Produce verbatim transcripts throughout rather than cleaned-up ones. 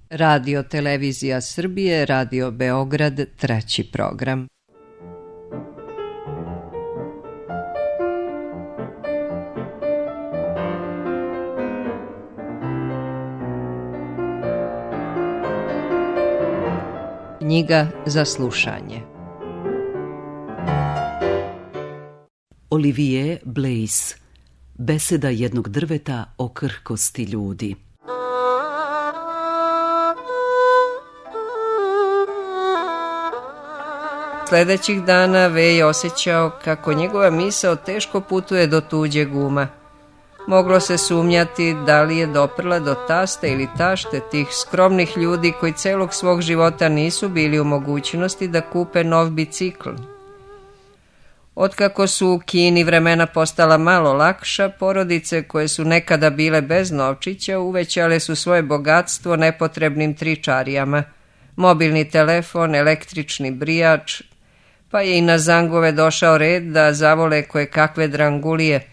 Radio Televizija Srbije, Radio Beograd, treći program. Knjiga za slušanje. Olivier Blaise, Beseda jednog drveta o krhkosti ljudi. Sledećih dana V je osjećao kako njegova misao teško putuje do tuđeg uma. Moglo se sumnjati da li je doprla do tasta ili tašte tih skromnih ljudi koji celog svog života nisu bili u mogućnosti da kupe nov bicikl. Otkako su u Kini vremena postala malo lakša, porodice koje su nekada bile bez novčića uvećale su svoje bogatstvo nepotrebnim tričarijama. Mobilni telefon, električni brijač, pa je i na zangove došao red da zavole koje kakve drangulije.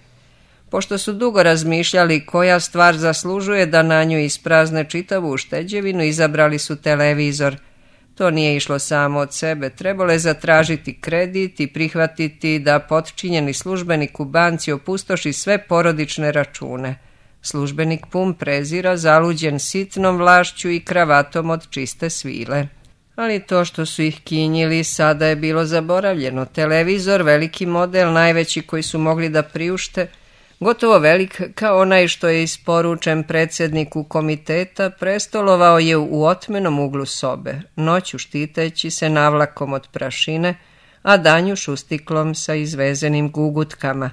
Pošto su dugo razmišljali koja stvar zaslužuje da na nju isprazne čitavu ušteđevinu, izabrali su televizor. To nije išlo samo od sebe, trebalo je zatražiti kredit i prihvatiti da potčinjeni službenik u banci opustoši sve porodične račune. Službenik pun prezira, zaluđen sitnom vlašću i kravatom od čiste svile. Ali to što su ih kinjili sada je bilo zaboravljeno. Televizor, veliki model, najveći koji su mogli da priušte, gotovo velik kao onaj što je isporučen predsjedniku komiteta, prestolovao je u otmenom uglu sobe, noću štiteći se navlakom od prašine, a danju šustiklom sa izvezenim gugutkama.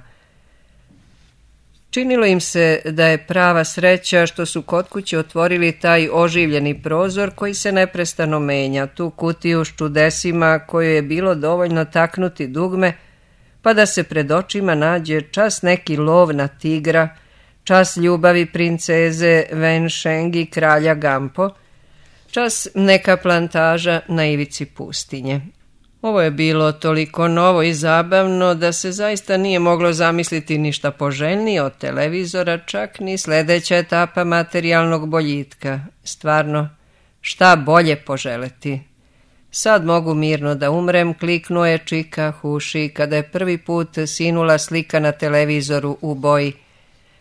Činilo im se da je prava sreća što su kod kuće otvorili taj oživljeni prozor koji se neprestano menja, tu kutiju s čudesima koju je bilo dovoljno taknuti dugme, pa da se pred očima nađe čas neki lov na tigra, čas ljubavi princeze Wen Sheng i kralja Gampo, čas neka plantaža na ivici pustinje. Ovo je bilo toliko novo i zabavno da se zaista nije moglo zamisliti ništa poželjnije od televizora, čak ni sledeća etapa materijalnog boljitka. Stvarno, šta bolje poželeti? Sad mogu mirno da umrem, kliknuo je Čika Huši kada je prvi put sinula slika na televizoru u boji.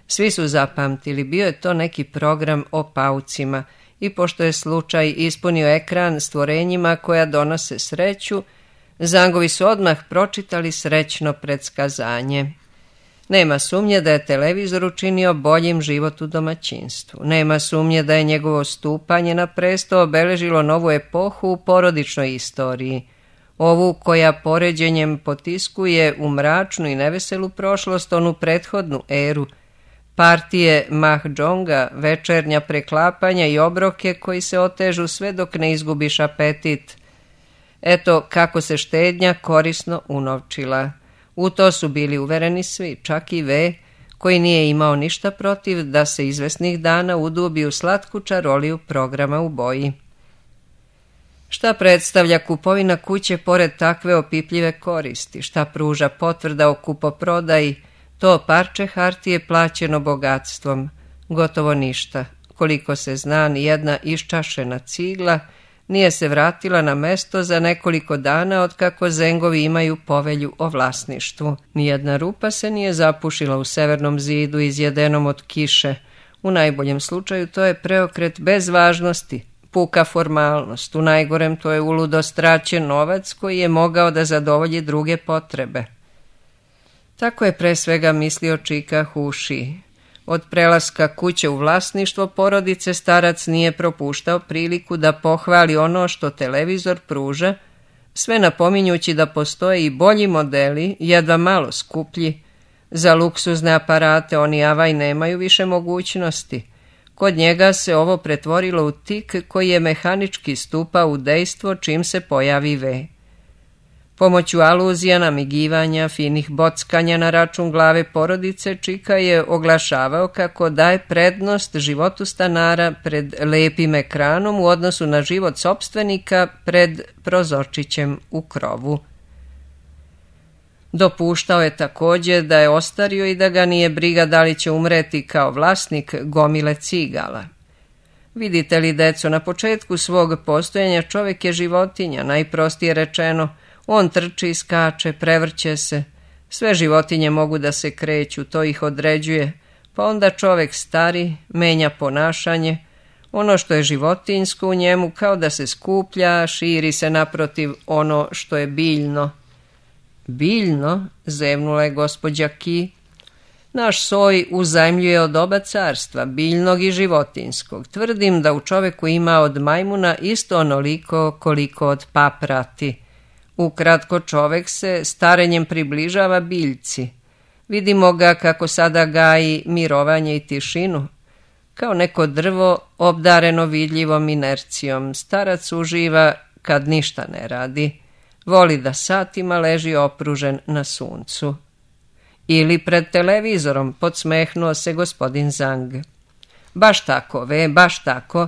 Svi su zapamtili, bio je to neki program o paucima i pošto je slučaj ispunio ekran stvorenjima koja donose sreću, zangovi su odmah pročitali srećno predskazanje. Nema sumnje da je televizor učinio boljim život u domaćinstvu. Nema sumnje da je njegovo stupanje na presto obeležilo novu epohu u porodičnoj istoriji. Ovu koja poređenjem potiskuje u mračnu i neveselu prošlost onu prethodnu eru. Partije mahđonga, večernja preklapanja i obroke koji se otežu sve dok ne izgubiš apetit. Eto kako se štednja korisno unovčila. U to su bili uvereni svi, čak i V, koji nije imao ništa protiv da se izvesnih dana udubi u slatku čaroliju programa u boji. Šta predstavlja kupovina kuće pored takve opipljive koristi? Šta pruža potvrda o kupoprodaji? To parče hartije plaćeno bogatstvom. Gotovo ništa. Koliko se zna, nijedna iščašena cigla nije se vratila na mesto za nekoliko dana otkako zengovi imaju povelju o vlasništvu. Nijedna rupa se nije zapušila u severnom zidu izjedenom od kiše. U najboljem slučaju to je preokret bez važnosti, puka formalnost. U najgorem to je uludo straćen novac koji je mogao da zadovolji druge potrebe. Tako je pre svega mislio Čika Huši. Od prelaska kuće u vlasništvo porodice starac nije propuštao priliku da pohvali ono što televizor pruža, sve napominjući da postoje i bolji modeli, jedva malo skuplji. Za luksuzne aparate oni avaj nemaju više mogućnosti. Kod njega se ovo pretvorilo u tik koji je mehanički stupao u dejstvo čim se pojavi V. Pomoću aluzija, namigivanja, finih bockanja na račun glave porodice, Čika je oglašavao kako daje prednost životu stanara pred lepim ekranom u odnosu na život sopstvenika pred prozorčićem u krovu. Dopuštao je također da je ostario i da ga nije briga da li će umreti kao vlasnik gomile cigala. Vidite li, deco, na početku svog postojanja čovjek je životinja, najprostije rečeno. On trči, skače, prevrće se. Sve životinje mogu da se kreću, to ih određuje. Pa onda čovjek stari, menja ponašanje. Ono što je životinjsko u njemu kao da se skuplja, širi se naprotiv ono što je biljno. Biljno, zevnula je gospođa Ki. Naš soj uzajmljuje od oba carstva, biljnog i životinjskog. Tvrdim da u čoveku ima od majmuna isto onoliko koliko od paprati. Ukratko, čovek se starenjem približava biljci. Vidimo ga kako sada gaji mirovanje i tišinu. Kao neko drvo obdareno vidljivom inercijom, starac uživa kad ništa ne radi. Voli da satima leži opružen na suncu. Ili pred televizorom, podsmehnuo se gospodin Zang. Baš tako, ve, baš tako.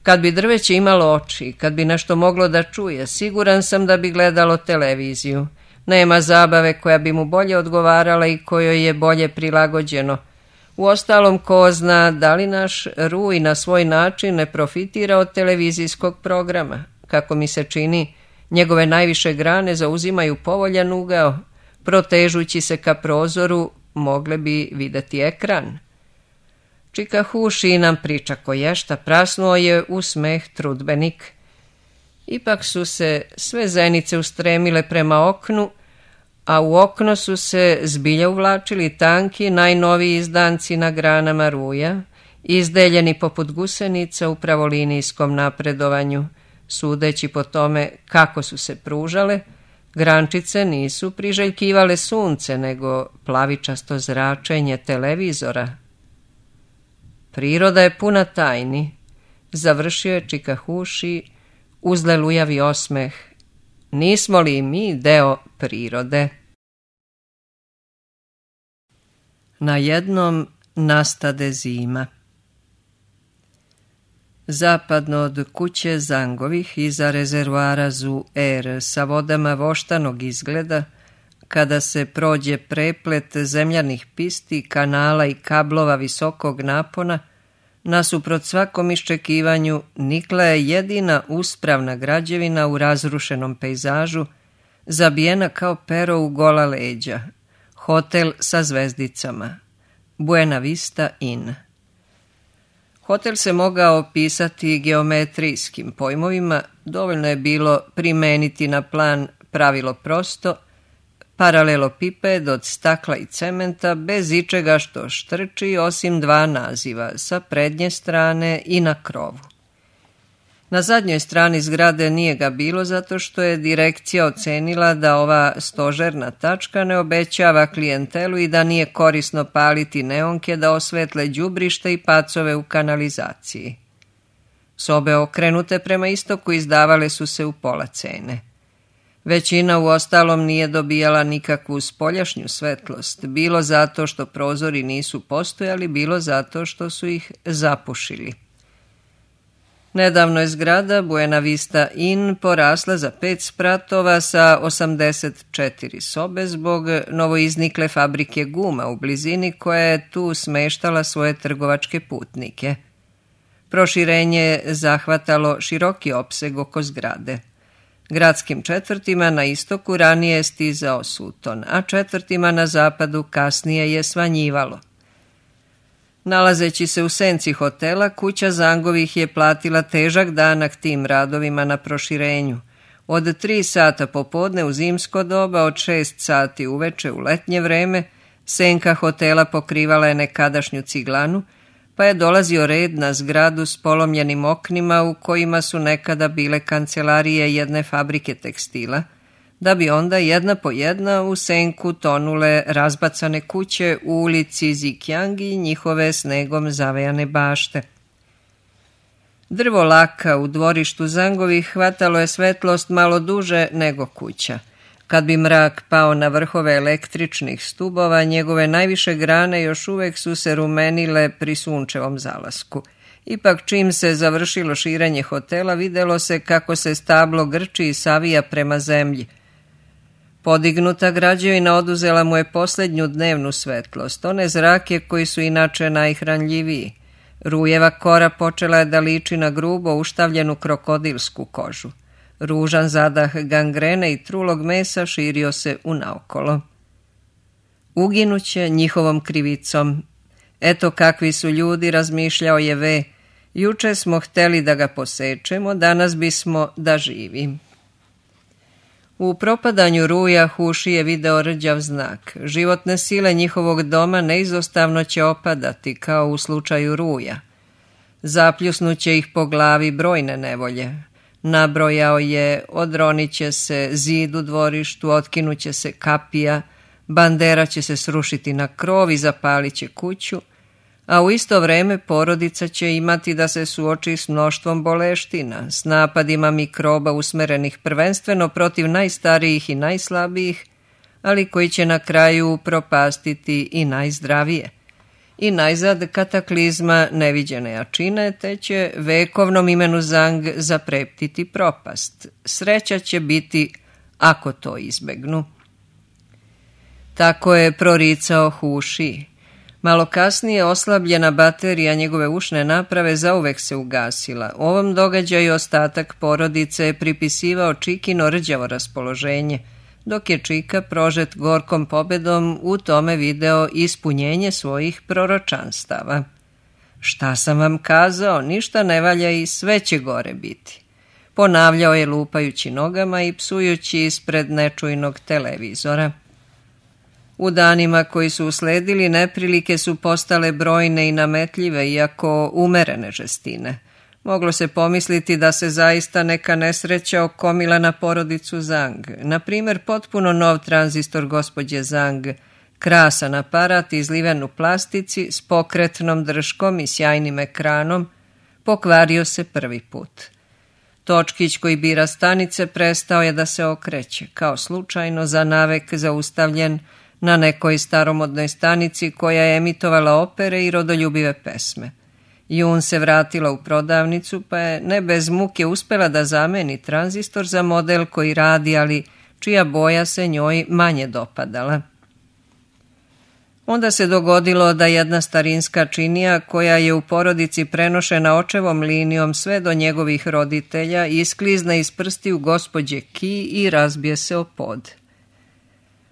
Kad bi drveće imalo oči, kad bi nešto moglo da čuje, siguran sam da bi gledalo televiziju. Nema zabave koja bi mu bolje odgovarala i kojoj je bolje prilagođeno. Uostalom, ko zna da li naš Ruj na svoj način ne profitira od televizijskog programa. Kako mi se čini, njegove najviše grane zauzimaju povoljan ugao. Protežući se ka prozoru, mogle bi videti ekran. Čika Huši nam priča koješta, prasnuo je u smeh trudbenik. Ipak su se sve zenice ustremile prema oknu, a u okno su se zbilja uvlačili tanki, najnoviji izdanci na granama Ruja, izdeljeni poput gusenica u pravolinijskom napredovanju. Sudeći po tome kako su se pružale, grančice nisu priželjkivale sunce, nego plavičasto zračenje televizora. Priroda je puna tajni, završio je Čika Huši uz lelujavi osmeh. Nismo li mi deo prirode? Na jednom nastade zima. Zapadno od kuće Zangovih iza rezervoara Zu Er sa vodama voštanog izgleda, kada se prođe preplet zemljanih pisti, kanala i kablova visokog napona, nasuprot svakom iščekivanju nikla je jedina uspravna građevina u razrušenom pejzažu, zabijena kao pero u gola leđa, hotel sa zvezdicama, Buena Vista Inn. Hotel se mogao opisati geometrijskim pojmovima, dovoljno je bilo primeniti na plan pravilo prosto, paralelopiped od stakla i cementa bez ičega što štrči osim dva naziva, sa prednje strane i na krovu. Na zadnjoj strani zgrade nije ga bilo zato što je direkcija ocenila da ova stožerna tačka ne obećava klijentelu i da nije korisno paliti neonke da osvetle đubrište i pacove u kanalizaciji. Sobe okrenute prema istoku izdavale su se u pola cene. Većina u ostalom nije dobijala nikakvu spoljašnju svetlost, bilo zato što prozori nisu postojali, bilo zato što su ih zapušili. Nedavno je zgrada Buena Vista Inn porasla za pet spratova sa osamdeset četiri sobe zbog novoiznikle fabrike guma u blizini koja je tu smeštala svoje trgovačke putnike. Proširenje je zahvatalo široki opseg oko zgrade. Gradskim četvrtima na istoku ranije je stizao suton, a četvrtima na zapadu kasnije je svanjivalo. Nalazeći se u senci hotela, kuća Zangovih je platila težak danak tim radovima na proširenju. Od tri sata popodne u zimsko doba, od šest sati uveče u letnje vreme, senka hotela pokrivala je nekadašnju ciglanu, pa je dolazio red na zgradu s polomljenim oknima u kojima su nekada bile kancelarije jedne fabrike tekstila, da bi onda jedna po jedna u senku tonule razbacane kuće u ulici Zikjang i njihove snegom zavejane bašte. Drvo laka u dvorištu Zangovih hvatalo je svetlost malo duže nego kuća. Kad bi mrak pao na vrhove električnih stubova, njegove najviše grane još uvek su se rumenile pri sunčevom zalasku. Ipak čim se završilo širenje hotela, videlo se kako se stablo grči i savija prema zemlji. Podignuta građevina oduzela mu je posljednju dnevnu svetlost, one zrake koji su inače najhranljiviji. Rujeva kora počela je da liči na grubo uštavljenu krokodilsku kožu. Ružan zadah gangrene i trulog mesa širio se unaokolo. Uginuće njihovom krivicom. Eto kakvi su ljudi, razmišljao je V. Juče smo hteli da ga posečemo, danas bismo da živi. U propadanju Ruja Huši je video rđav znak. Životne sile njihovog doma neizostavno će opadati, kao u slučaju Ruja. Zapljusnuće ih po glavi brojne nevolje. Nabrojao je, odronit će se zid u dvorištu, otkinuće se kapija, bandera će se srušiti na krov i zapalit će kuću, a u isto vreme porodica će imati da se suoči s mnoštvom boleština, s napadima mikroba usmerenih prvenstveno protiv najstarijih i najslabijih, ali koji će na kraju propastiti i najzdravije. I najzad kataklizma neviđene jačine, te će vekovnom imenu Zang zapreptiti propast. Sreća će biti ako to izbegnu. Tako je proricao Huši. Malo kasnije oslabljena baterija njegove ušne naprave zauvek se ugasila. U ovom događaju ostatak porodice je pripisivao Čikino rđavo raspoloženje, dok je Čika, prožet gorkom pobedom, u tome video ispunjenje svojih proročanstava. Šta sam vam kazao, ništa ne valja i sve će gore biti. Ponavljao je lupajući nogama i psujući ispred nečujnog televizora. U danima koji su usledili neprilike su postale brojne i nametljive, iako umerene žestine. Moglo se pomisliti da se zaista neka nesreća okomila na porodicu Zang. Na primjer, potpuno nov tranzistor gospođe Zang, krasan aparat izliven u plastici s pokretnom drškom i sjajnim ekranom, pokvario se prvi put. Točkić koji bira stanice prestao je da se okreće, kao slučajno za navek zaustavljen na nekoj staromodnoj stanici koja je emitovala opere i rodoljubive pesme. Jun se vratila u prodavnicu, pa je ne bez muke uspela da zameni tranzistor za model koji radi, ali čija boja se njoj manje dopadala. Onda se dogodilo da jedna starinska činija, koja je u porodici prenošena očevom linijom sve do njegovih roditelja, isklizne iz prstiju gospođe Ki i razbije se o pod.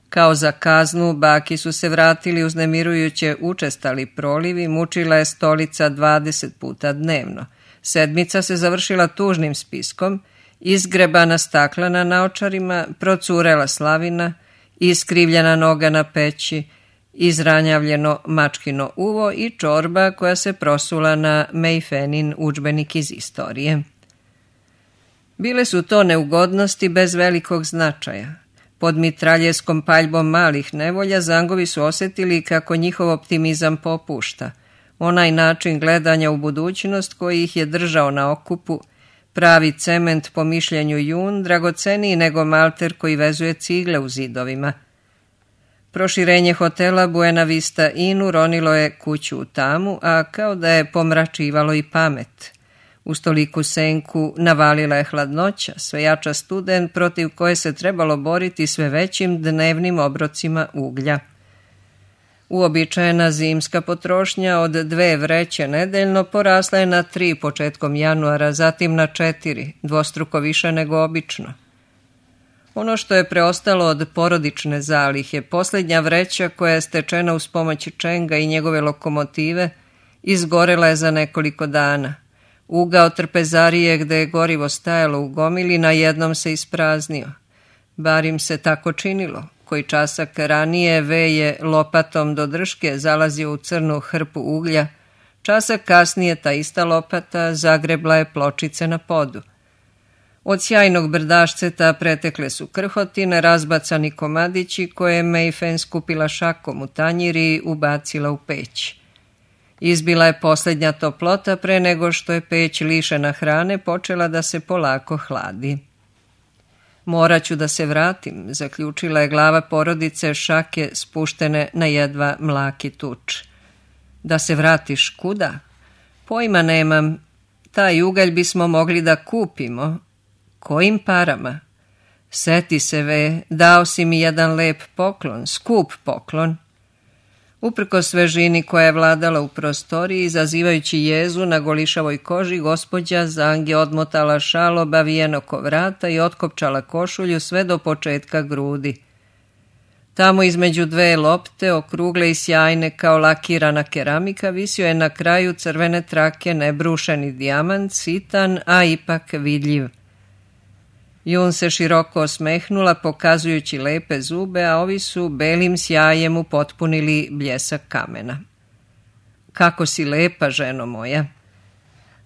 Kao za kaznu, baki su se vratili uznemirujuće učestali prolivi, mučila je stolica dvadeset puta dnevno. Sedmica se završila tužnim spiskom, izgrebana stakla na naočarima, procurela slavina, iskrivljena noga na peći, izranjavljeno mačkino uvo i čorba koja se prosula na Mejfenin udžbenik iz istorije. Bile su to neugodnosti bez velikog značaja. Pod mitraljeskom paljbom malih nevolja Zangovi su osjetili kako njihov optimizam popušta. Onaj način gledanja u budućnost koji ih je držao na okupu, pravi cement po mišljenju Jun, dragoceniji nego malter koji vezuje cigle u zidovima. Proširenje hotela Buena Vista Inn uronilo je kuću u tamu, a kao da je pomračivalo i pamet. Uz toliku senku navalila je hladnoća, sve jača studen protiv koje se trebalo boriti sve većim dnevnim obrocima uglja. Uobičajena zimska potrošnja od dve vreće nedeljno porasla je na tri početkom januara, zatim na četiri, dvostruko više nego obično. Ono što je preostalo od porodične zalihe, posljednja vreća koja je stečena uz pomoć Čenga i njegove lokomotive, izgorela je za nekoliko dana. Ugao trpezarije gde je gorivo stajalo u gomili na jednom se ispraznio. Bar im se tako činilo. Koji časak ranije V je lopatom do drške zalazio u crnu hrpu uglja, časak kasnije ta ista lopata zagrebla je pločice na podu. Od sjajnog brdašceta pretekle su krhotine, razbacani komadići koje je Mejfen skupila šakom u tanjiri i ubacila u peć. Izbila je posljednja toplota pre nego što je peć lišena hrane počela da se polako hladi. Morat ću da se vratim, zaključila je glava porodice, šake spuštene na jedva mlaki tuč. Da se vratiš kuda? Pojma nemam. Taj ugalj bismo mogli da kupimo. Kojim parama? Seti se, Ve, dao si mi jedan lep poklon, skup poklon. Uprkos svežini koja je vladala u prostoriji, izazivajući jezu na golišavoj koži, gospođa Zang je odmotala šal obavijen oko vrata i otkopčala košulju sve do početka grudi. Tamo između dve lopte, okrugle i sjajne kao lakirana keramika, visio je na kraju crvene trake nebrušeni dijamant, sitan, a ipak vidljiv. Jun se široko osmehnula, pokazujući lepe zube, a ovi su belim sjajem upotpunili bljesak kamena. Kako si lepa, ženo moja!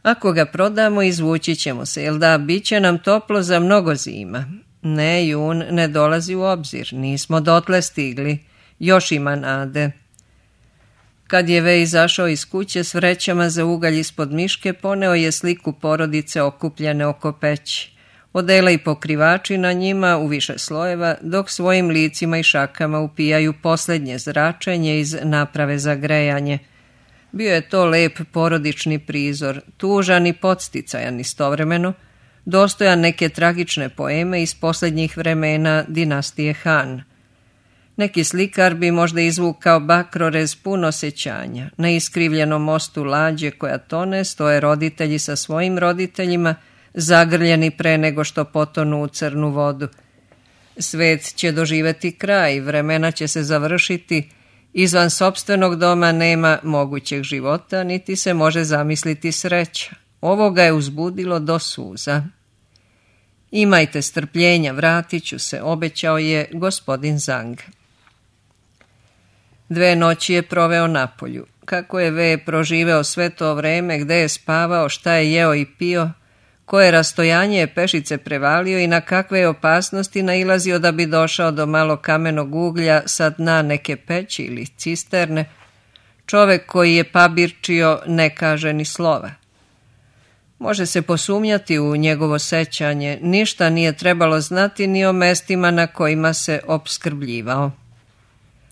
Ako ga prodamo, izvući ćemo se, jel da, bit će nam toplo za mnogo zima. Ne, Jun, ne dolazi u obzir, nismo dotle stigli, još ima nade. Kad je Vej izašao iz kuće s vrećama za ugalj ispod miške, poneo je sliku porodice okupljene oko peći. Odela i pokrivači na njima u više slojeva, dok svojim licima i šakama upijaju posljednje zračenje iz naprave za grejanje. Bio je to lep porodični prizor, tužan i podsticajan istovremeno, dostojan neke tragične poeme iz posljednjih vremena dinastije Han. Neki slikar bi možda izvukao bakrorez pun osjećanja. Na iskrivljenom mostu lađe koja tone stoje roditelji sa svojim roditeljima, zagrljeni pre nego što potonu u crnu vodu. Svet će doživeti kraj, vremena će se završiti, izvan sopstvenog doma nema mogućeg života, niti se može zamisliti sreća. Ovo ga je uzbudilo do suza. Imajte strpljenja, vratit ću se, obećao je gospodin Zang. Dve noći je proveo napolju. Kako je Ve proživeo sve to vreme, gde je spavao, šta je jeo i pio, koje rastojanje je pešice prevalio i na kakve je opasnosti nailazio da bi došao do malo kamenog uglja sa dna neke peći ili cisterne, čovek koji je pabirčio ne kaže ni slova. Može se posumnjati u njegovo sećanje, ništa nije trebalo znati ni o mestima na kojima se opskrbljivao.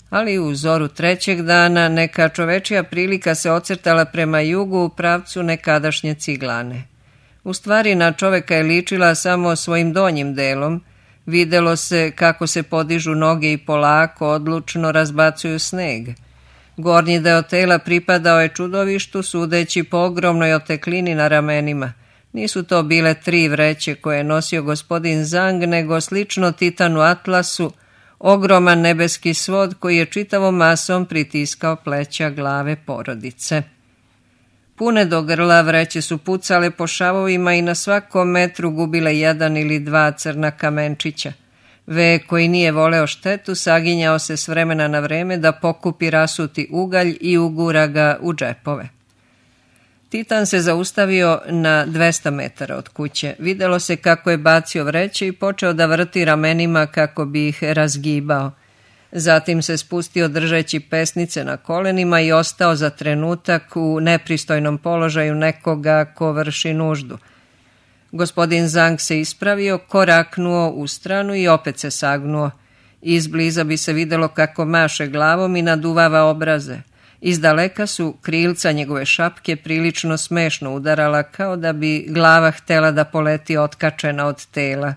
Ali u zoru trećeg dana neka čovečija prilika se ocrtala prema jugu u pravcu nekadašnje ciglane. U stvari na čoveka je ličila samo svojim donjim delom, videlo se kako se podižu noge i polako, odlučno razbacuju sneg. Gornji deo tela pripadao je čudovištu, sudeći po ogromnoj oteklini na ramenima. Nisu to bile tri vreće koje je nosio gospodin Zang, nego slično titanu atlasu, ogroman nebeski svod koji je čitavom masom pritiskao pleća glave porodice. Pune do grla vreće su pucale po šavovima i na svakom metru gubile jedan ili dva crna kamenčića. Ve, koji nije voleo štetu, saginjao se s vremena na vreme da pokupi rasuti ugalj i ugura ga u džepove. Titan se zaustavio na dvesta metara od kuće. Videlo se kako je bacio vreće i počeo da vrti ramenima kako bi ih razgibao. Zatim se spustio držeći pesnice na kolenima i ostao za trenutak u nepristojnom položaju nekoga ko vrši nuždu. Gospodin Zang se ispravio, koraknuo u stranu i opet se sagnuo. Izbliza bi se videlo kako maše glavom i naduvava obraze. Izdaleka su krilca njegove šapke prilično smešno udarala, kao da bi glava htela da poleti otkačena od tela.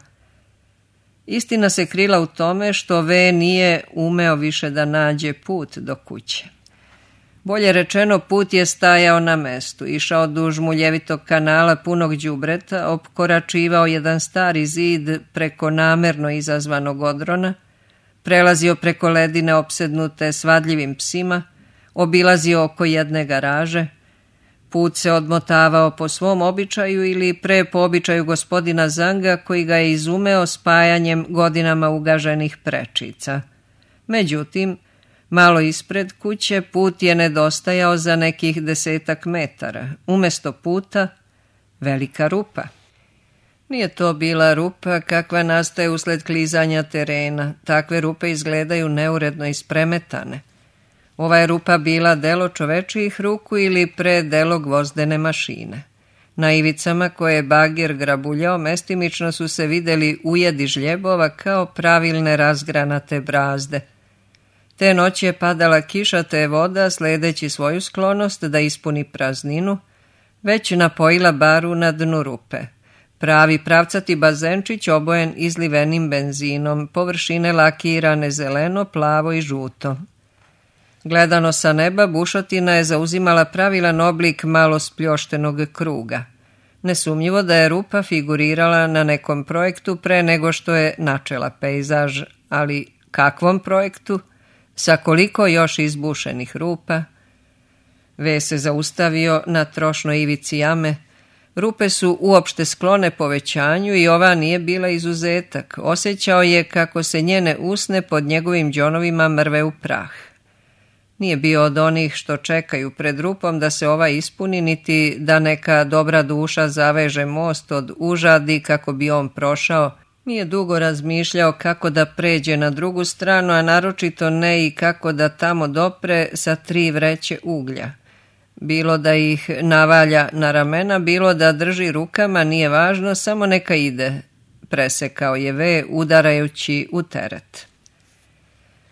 Istina se krila u tome što Ve nije umeo više da nađe put do kuće. Bolje rečeno, put je stajao na mestu, išao duž muljevitog kanala punog đubreta, opkoračivao jedan stari zid preko namerno izazvanog odrona, prelazio preko ledine opsednute svadljivim psima, obilazio oko jedne garaže. Put se odmotavao po svom običaju ili pre po običaju gospodina Zanga, koji ga je izumeo spajanjem godinama ugaženih prečica. Međutim, malo ispred kuće put je nedostajao za nekih desetak metara. Umesto puta, velika rupa. Nije to bila rupa kakva nastaje usled klizanja terena. Takve rupe izgledaju neuredno ispremetane. Ova je rupa bila delo čovečijih ruku ili pre delo gvozdene mašine. Na ivicama koje je bager grabuljao mestimično su se videli ujedi žljebova kao pravilne razgranate brazde. Te noći je padala kiša, te je voda, sledeći svoju sklonost da ispuni prazninu, već napojila baru na dnu rupe. Pravi pravcati bazenčić obojen izlivenim benzinom, površine lakirane zeleno, plavo i žuto. Gledano sa neba, bušotina je zauzimala pravilan oblik malo spljoštenog kruga. Nesumnjivo da je rupa figurirala na nekom projektu pre nego što je načela pejzaž, ali kakvom projektu? Sa koliko još izbušenih rupa? Ve se zaustavio na trošnoj ivici jame. Rupe su uopšte sklone povećanju i ova nije bila izuzetak. Osjećao je kako se njene usne pod njegovim đonovima mrve u prah. Nije bio od onih što čekaju pred rupom da se ova ispuni, niti da neka dobra duša zaveže most od užadi kako bi on prošao. Nije dugo razmišljao kako da pređe na drugu stranu, a naročito ne i kako da tamo dopre sa tri vreće uglja. Bilo da ih navalja na ramena, bilo da drži rukama, nije važno, samo neka ide, presekao je Ve udarajući u teret.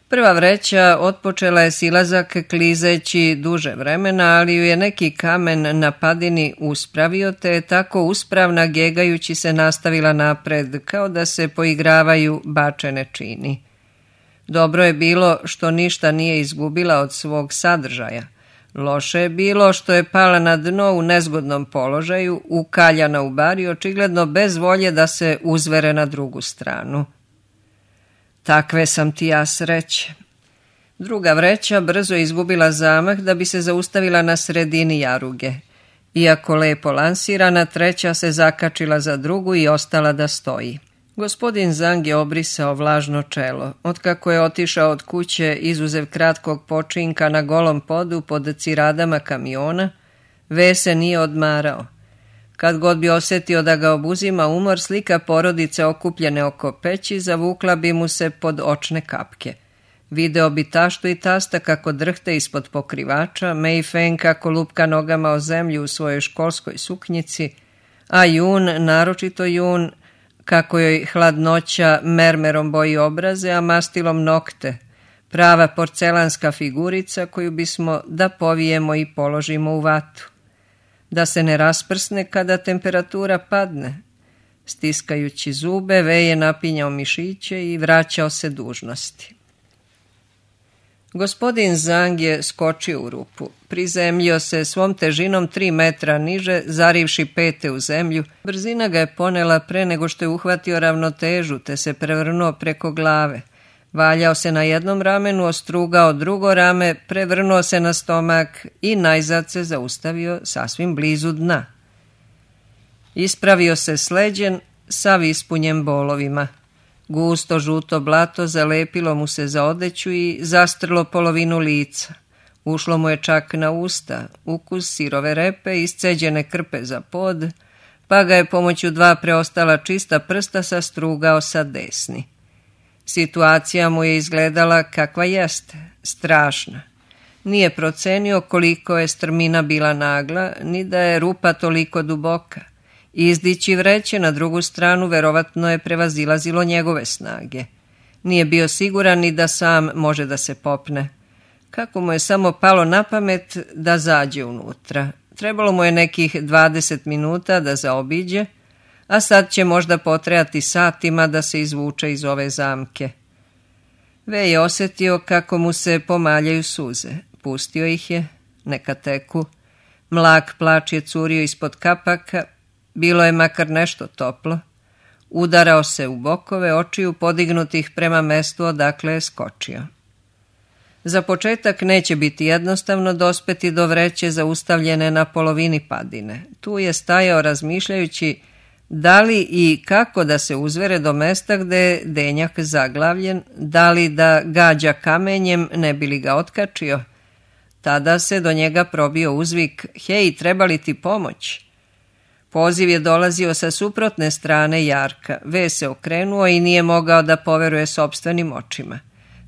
Prva vreća otpočela je silazak klizeći duže vremena, ali ju je neki kamen na padini uspravio, te je tako uspravna gegajući se nastavila napred, kao da se poigravaju bačene čini. Dobro je bilo što ništa nije izgubila od svog sadržaja. Loše je bilo što je pala na dno u nezgodnom položaju, ukaljana u bari, očigledno bez volje da se uzvere na drugu stranu. Takve sam ti ja sreće. Druga vreća brzo je izgubila zamah da bi se zaustavila na sredini jaruge. Iako lepo lansirana, treća se zakačila za drugu i ostala da stoji. Gospodin Zang je obrisao vlažno čelo. Otkako je otišao od kuće, izuzev kratkog počinka na golom podu pod ciradama kamiona, Ve se nije odmarao. Kad god bi osjetio da ga obuzima umor, slika porodice okupljene oko peći zavukla bi mu se pod očne kapke. Video bi taštu i tasta kako drhte ispod pokrivača, Mei Feng kako lupka nogama o zemlju u svojoj školskoj suknjici, a Jun, naročito Jun, kako joj hladnoća mermerom boji obraze, a mastilom nokte, prava porcelanska figurica koju bismo da povijemo i položimo u vatu. Da se ne rasprsne kada temperatura padne. Stiskajući zube, Ve je napinjao mišiće i vraćao se dužnosti. Gospodin Zang je skočio u rupu. Prizemljio se svom težinom tri metra niže, zarivši pete u zemlju. Brzina ga je ponela pre nego što je uhvatio ravnotežu, te se prevrnuo preko glave. Valjao se na jednom ramenu, ostrugao drugo rame, prevrnuo se na stomak i najzad se zaustavio sasvim blizu dna. Ispravio se sleđen, sav ispunjen bolovima. Gusto žuto blato zalepilo mu se za odeću i zastrlo polovinu lica. Ušlo mu je čak na usta, ukus sirove repe, isceđene krpe za pod, pa ga je pomoću dva preostala čista prsta sastrugao sa desni. Situacija mu je izgledala kakva jeste, strašna. Nije procenio koliko je strmina bila nagla, ni da je rupa toliko duboka. Izdići vreće na drugu stranu verovatno je prevazilazilo njegove snage. Nije bio siguran ni da sam može da se popne. Kako mu je samo palo na pamet da zađe unutra. Trebalo mu je nekih dvadeset minuta da zaobiđe, a sad će možda potrajati satima da se izvuče iz ove zamke. Ve je osjetio kako mu se pomaljaju suze. Pustio ih je, neka teku. Mlak plač je curio ispod kapaka, bilo je makar nešto toplo. Udarao se u bokove, očiju podignutih prema mestu odakle je skočio. Za početak neće biti jednostavno dospeti do vreće zaustavljene na polovini padine. Tu je stajao razmišljajući da li i kako da se uzvere do mesta gde je denjak zaglavljen, da li da gađa kamenjem ne bi li ga otkačio. Tada se do njega probio uzvik: "Hej, treba li ti pomoć?" Poziv je dolazio sa suprotne strane jarka. Ve se okrenuo i nije mogao da poveruje sopstvenim očima.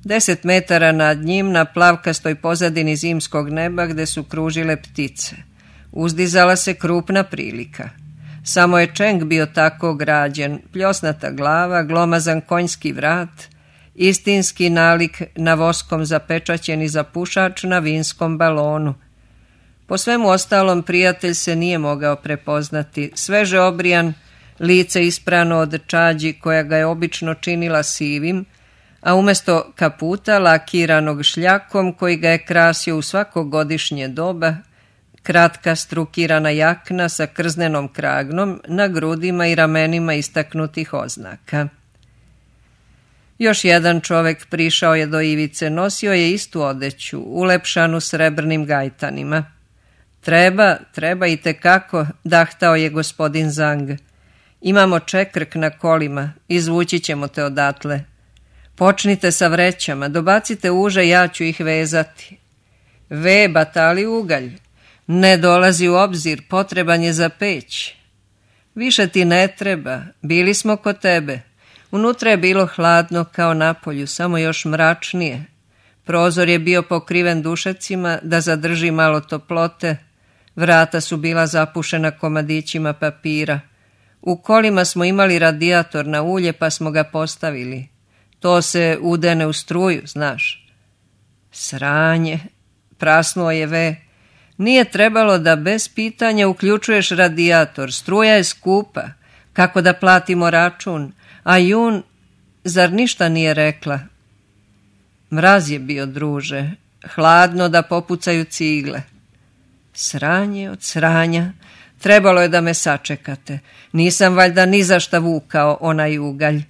Deset metara nad njim, na plavkastoj pozadini zimskog neba gde su kružile ptice, uzdizala se krupna prilika. Samo je čeng bio tako građen, pljosnata glava, glomazan konjski vrat, istinski nalik na voskom zapečaćeni zapušač na vinskom balonu. Po svemu ostalom prijatelj se nije mogao prepoznati, sveže obrijan, lice isprano od čađi koja ga je obično činila sivim, a umesto kaputa lakiranog šljakom koji ga je krasio u svako godišnje doba, kratka strukirana jakna sa krznenom kragnom na grudima i ramenima istaknutih oznaka. Još jedan čovek prišao je do ivice, nosio je istu odeću, ulepšanu srebrnim gajtanima. Treba, treba i tekako, dahtao je gospodin Zang. Imamo čekrk na kolima, izvući ćemo te odatle. Počnite sa vrećama, dobacite uže, ja ću ih vezati. Ve, batali ugalj, ne dolazi u obzir, potreban je za peć. Više ti ne treba, bili smo kod tebe. Unutra je bilo hladno kao napolju, samo još mračnije. Prozor je bio pokriven dušecima da zadrži malo toplote, vrata su bila zapušena komadićima papira. U kolima smo imali radijator na ulje pa smo ga postavili. To se udene u struju, znaš. Sranje, prasnuo je Ve. Nije trebalo da bez pitanja uključuješ radijator, struja je skupa. Kako da platimo račun? A Jun, zar ništa nije rekla? Mraz je bio, druže, hladno da popucaju cigle. Sranje od sranja, trebalo je da me sačekate. Nisam valjda ni za šta vukao onaj ugalj.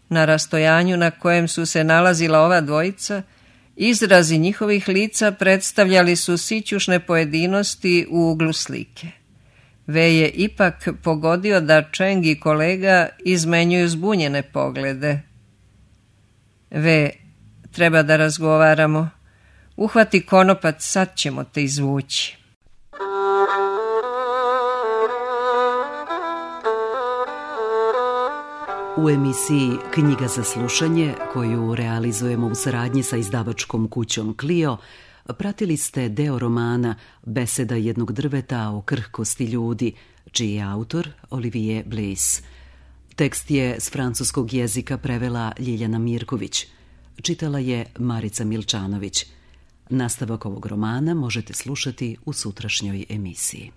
Na rastojanju na kojem su se nalazila ova dvojica, izrazi njihovih lica predstavljali su sićušne pojedinosti u uglu slike. Ve je ipak pogodio da Čeng i kolega izmenjuju zbunjene poglede. Ve, treba da razgovaramo. Uhvati konopac, sad ćemo te izvući. U emisiji Knjiga za slušanje, koju realizujemo u saradnji sa izdavačkom kućom Clio, pratili ste deo romana Beseda jednog drveta o krhkosti ljudi, čiji je autor Olivier Bliss. Tekst je s francuskog jezika prevela Ljiljana Mirković. Čitala je Marica Milčanović. Nastavak ovog romana možete slušati u sutrašnjoj emisiji.